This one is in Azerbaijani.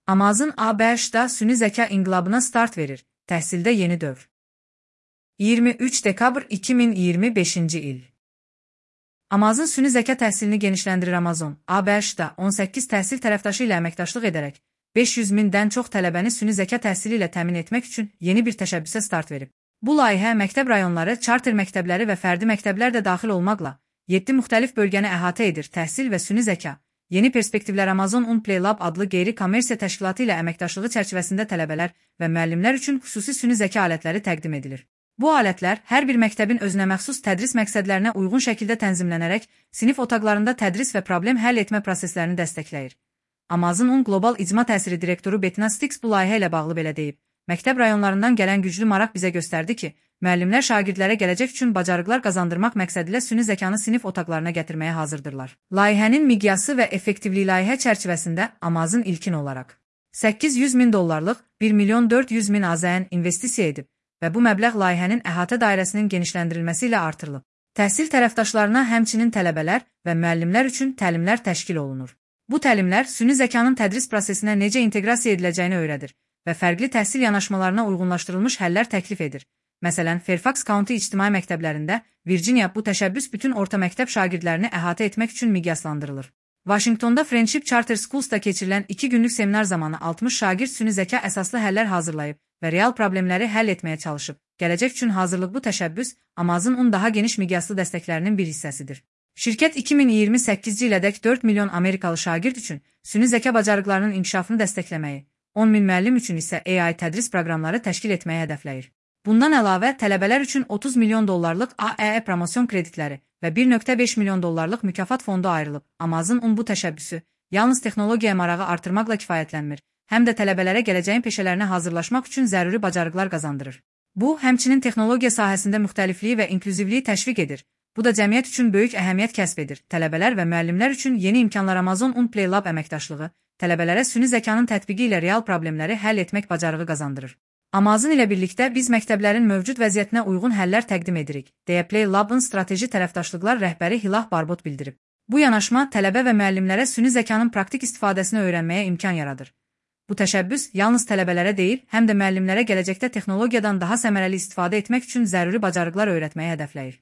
Amazon ABŞ-da süni zəka inqilabına start verir. Təhsildə yeni dövr. 23 dekabr 2025-ci il. Amazon süni zəka təhsilini genişləndirir. Amazon ABŞ-da 18 təhsil tərəfdaşı ilə əməkdaşlıq edərək 500 mindən çox tələbəni süni zəka təhsili ilə təmin etmək üçün yeni bir təşəbbüsə start verib. Bu layihə məktəb rayonları, charter məktəbləri və fərdi məktəblər də daxil olmaqla 7 müxtəlif bölgəni əhatə edir. Təhsil və süni zəka yeni perspektivlər Amazon Unplay Lab adlı qeyri-kommersiya təşkilatı ilə əməkdaşlığı çərçivəsində tələbələr və müəllimlər üçün xüsusi süni zəka alətləri təqdim edilir. Bu alətlər hər bir məktəbin özünəməxsus tədris məqsədlərinə uyğun şəkildə tənzimlənərək sinif otaqlarında tədris və problem həll etmə proseslərini dəstəkləyir. Amazon Un Qlobal İcma Təsiri direktoru Bettina Stix bu layihə ilə bağlı belə deyib. Məktəb rayonlarından gələn güclü maraq bizə göstərdi ki, müəllimlər şagirdlərə gələcək üçün bacarıqlar qazandırmaq məqsədilə süni zəkanı sinif otaqlarına gətirməyə hazırdırlar. Layihənin miqyası və effektivliyi layihə çərçivəsində Amazon ilkin olaraq $800.000 $1.400.000 AZN investisiya edib və bu məbləğ layihənin əhatə dairəsinin genişləndirilməsi ilə artırılıb. Təhsil tərəfdaşlarına həmçinin tələbələr və müəllimlər üçün təlimlər təşkil olunur. Bu təlimlər süni zəkanın tədris prosesinə necə inteqrasiya ediləcəyini öyrədir və fərqli təhsil yanaşmalarına uyğunlaşdırılmış həllər təklif edir. Məsələn, Fairfax County ictimai məktəblərində Virginia bu təşəbbüs bütün orta məktəb şagirdlərini əhatə etmək üçün miqyaslandırılır. Washingtonda Friendship Charter Schools'da keçirilən 2 günlük seminar zamanı 60 şagird süni zəka əsaslı həllər hazırlayıb və real problemləri həll etməyə çalışıb. Gələcək üçün hazırlıq bu təşəbbüs Amazon Un daha geniş miqyaslı dəstəklərinin bir hissəsidir. Şirkət 2028-ci ilədək 4 milyon Amerikalı şagird üçün süni zəka bacarıqlarının inkişafını dəstəkləməyi, 10 min müəllim üçün isə AI tədris proqramları təşkil etməyi hədəfləyir. Bundan əlavə, tələbələr üçün $30 milyon AEE promosiyon kreditləri və $1.5 milyon mükafat fondu ayrılıb. Amazon Un bu təşəbbüsü yalnız texnologiyaya marağı artırmaqla kifayətlənmir, həm də tələbələrə gələcəyin peşələrinə hazırlaşmaq üçün zəruri bacarıqlar qazandırır. Bu, həmçinin texnologiya sahəsində müxtəlifliyi və inklüzivliyi təşviq edir. Bu da cəmiyyət üçün böyük əhəmiyyət kəsb edir. Tələbələr və müəllimlər üçün yeni imkanlar Amazon Unplay Lab əməkdaşlığı, tələbələrə süni zəkanın tətbiqi ilə real problemləri həll etmək bacarığı qazandırır. Amazon ilə birlikdə biz məktəblərin mövcud vəziyyətinə uyğun həllər təqdim edirik, deyə Play Lab'ın strateji tərəfdaşlıqlar rəhbəri Hilah Barbot bildirib. Bu yanaşma tələbə və müəllimlərə süni zəkanın praktik istifadəsini öyrənməyə imkan yaradır. Bu təşəbbüs yalnız tələbələrə deyil, həm də müəllimlərə gələcəkdə texnologiyadan daha səmərəli istifadə etmək üçün zəruri bacarıqlar öyrətməyi hədəfləyir.